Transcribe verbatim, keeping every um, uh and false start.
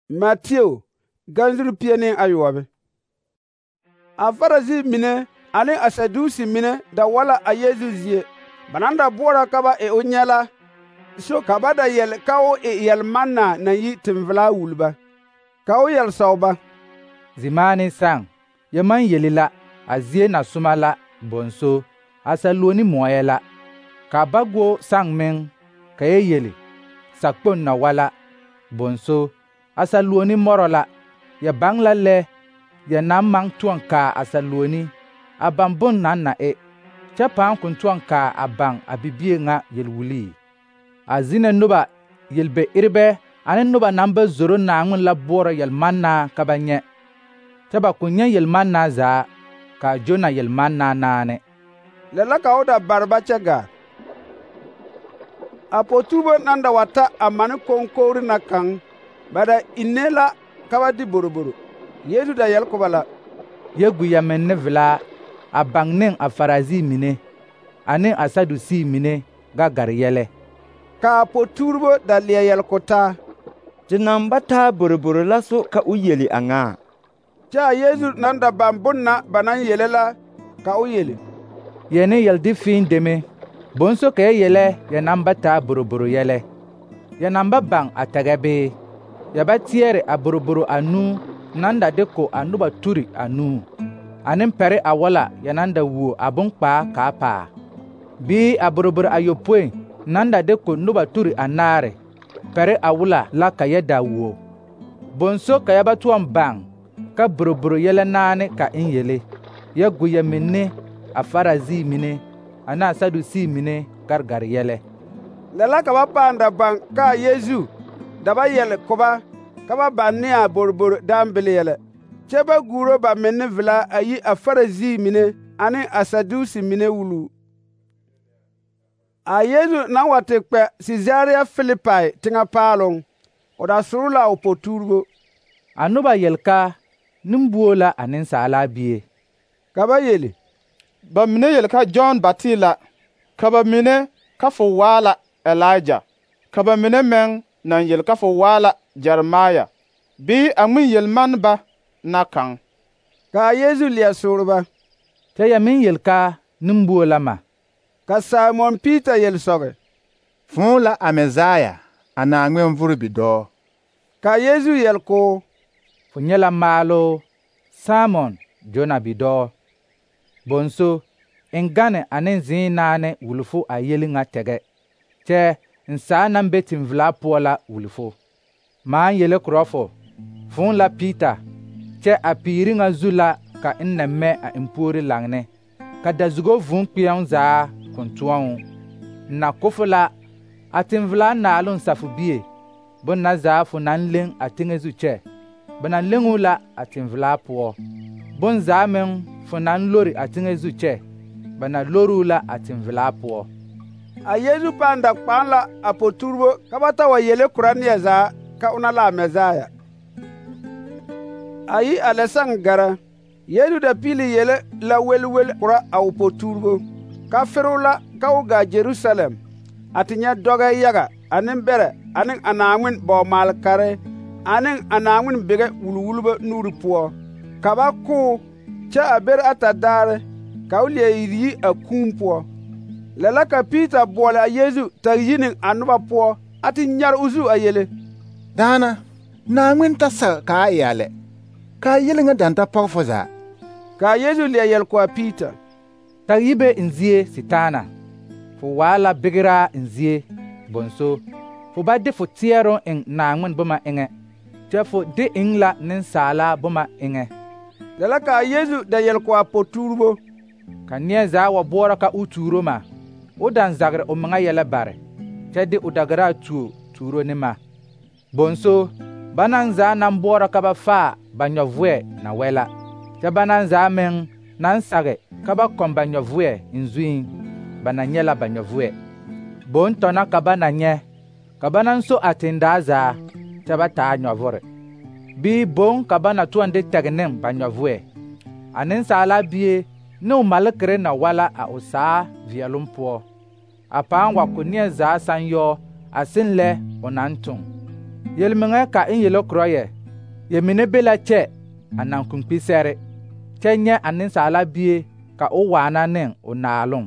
Matthew ganzuri pie ne ayoɔbe. A Farisi mine ane a Sadusi mine da wala a Yesu zie. Ba naŋ da boɔrɔ ka ba e o nyɛ la, so ka ba da yɛle ka o e yɛlmanna naŋ yi tenvelaa wuli ba. Ka o yɛle sɔg ba: Zimaane sãn, ya maŋ yeli la, a zie na soma la, bõnso, a saluoni moɔɛ la. Ka ba go sãn meŋ, ka ya yeli, sakpoŋ na wa la, bõnso, a saluoni mɔrɔ la. Ya baŋ la lɛ ya naŋ maŋ tõɔ kaa a saluoni, a baŋ bon naŋ na e, kyɛ pãã kõn tõɔ kaa a baŋ a bibie ŋa yel-wulii. A zinɛ noba yel-be-erebɛ ane noba naŋ ba zoro Naaŋmen la boɔrɔ yel-mannaa ka ba nyɛ, kyɛ ba kõn nyɛ yel-mannaa zaa, kaa Jona yel-mannaa naane. Lɛ la ka o da bare ba kyɛ gaa. A po-tuubo naŋ da wa ta a mane koŋkogri na kaŋ, ba da ine la ka ba di boroboro. Yesu da yɛle ko ba la: Ya gu ya menne velaa, a baŋ ne a Farisi mine, ane a Sadusi mine ga gare yɛlɛ. Ka a po-tuuribo da leɛ yɛle ko taa: Te naŋ ba taa boroboro la so ka o yeli a ŋa? Kyɛ a Yesu naŋ da baŋ bon na ba naŋ yele la, ka o yeli: Yɛ ne yɛl-de fĩĩ deme, bõnso ka ya yɛlɛ ya naŋ ba taa boroboro yɛlɛ. Ya naŋ ba baŋ a tɛgɛ bee? Ya ba teɛre a boroboro anuu naŋ da de ko a noba turi anuu, ane pɛre a wala ya naŋ da wuo a bonkpaa kaa paa? Bii a boroboro ayopõi naŋ da de ko noba turi anaare, pɛre a wula la ka ya da wuo? Bõnso ka ya ba tõɔ baŋ ka boroboro yɛlɛ naane ka n yele. Ya gu ya menne a Farisi mine ane a Sadusi mine gargare yɛlɛ. Lɛ la ka ba pãã da baŋ ka a Yesu da ba yɛle ko ba ka ba baŋ ne a boroboro dãmbele yɛlɛ, kyɛ ba guuro ba menne velaa a yi a Farisi mine ane a Sadusi mine wuluu. A Yesu naŋ wa te kpɛ Sisaria Filipai teŋɛ paaloŋ, o da soro la o po-tuuribo. A noba yel ka nembuo la a Nensaala Bie. Ka ba yeli: Ba mine yel ka Jɔn Bati la, ka ba mine ka fo waa la Elija, ka ba mine meŋ naŋ yel ka fo waa la Jeremaya, bii a ŋmen yel-man ba na kaŋ. Ka a Yesu leɛ soore ba: Kyɛ ya meŋ yel ka nembuo la ma? Ka Simon Piita yel sɔge: Fõõ la a Mesaya, a Naaŋmen vore bidɔɔ. Ka Yesu yel koo: Fo nyɛ la maaloo, Simon, Jona bidɔɔ. Bõnso, n gane ane zĩig naane wuli fo a yeli ŋa tɛgɛ, kyɛ n saa naŋ be tenvelaa poɔ la wuli fo. Maaŋ yele korɔ fo, fõõ la Piita, kyɛ a piiri ŋa zu la ka n na mɛ a n puori laŋne, ka dazugo vūū kpeɛŋ zaa kõn tõɔ. N na ko fo la a tenvelaa naaloŋ safo bie, bon na zaa fo naŋ leŋ a teŋɛ zu kyɛ, ba na leŋuu la a tenvelaa poɔ. Bon zaa meŋ fo naŋ lori a teŋɛ zu kyɛ, ba na loruu la a tenvelaa poɔ. A Yesu pãã da kpãã la a po-tuuribo ka ba ta wa yele korɔ neɛ zaa ka ona la a Mesaya. A yi a lɛ sãn gara, Yesu da piili yele la welwel korɔ a o po-tuuribo, ka feroo la ka o gaa Jerusalem a te nyɛ dɔgɛ yaga ane bɛrɛ ane a Naaŋmen bɔɔ-maale-kare ane a Naaŋmen bege wulwulbɔ nuuri poɔ. Ka ba ko, kyɛ a bere ata daare, ka o leɛ iri yi a kuun poɔ. Lɛ la ka Piita boɔle a Yesu tag yi ne a noba poɔ a te nyare o zu a yele: Daana, Naaŋmen ta sag ka a e a lɛ, ka a yele ŋa daŋ ta pɔge fo zaa. Ka a Yesu leɛ yɛle ko a Piita: Tag yi be n zie, Sitaana. Fo waa la begeraa n zie, bõnso, fo ba de fo teɛroŋ eŋ Naaŋmen boma eŋɛ, kyɛ fo de eŋ la nensaala boma eŋɛ. Lɛ la ka a Yesu da yɛle ko a po-tuuribo: Ka neɛ zaa wa boɔrɔ ka o tuuro ma, o daŋ zagre o meŋa yɛlɛ bare, kyɛ de o dagaraa tuo tuuro ne ma. Bõnso, banaŋ zaa naŋ boɔrɔ ka ba faa ba nyɔvʋɛ na wɛ la, kyɛ banaŋ zaa meŋ naŋ sage ka ba kɔŋ ba nyɔvʋɛ n zuiŋ, ba na nyɛ la ba nyɔvʋɛ. Boŋ tɔna ka ba na nyɛ, ka ba naŋ so a tendaa zaa, kyɛ ba taa nyɔvʋre. Bii boŋ ka ba na tõɔ de tɛg ne ba nyɔvʋɛ. A Nensaala Bie ne o malekere na wa la a o saa veɛloŋ poɔ, a pãã wa ko neɛ zaa sãn yɔɔ a seŋ lɛ o naŋ toŋ. Yelmeŋa ka n yele korɔ yɛ, yemine be la kyɛ a naŋ kpinkpi sɛre, kyɛ nyɛ a Nensaala Bie ka o waana ne o Naaloŋ.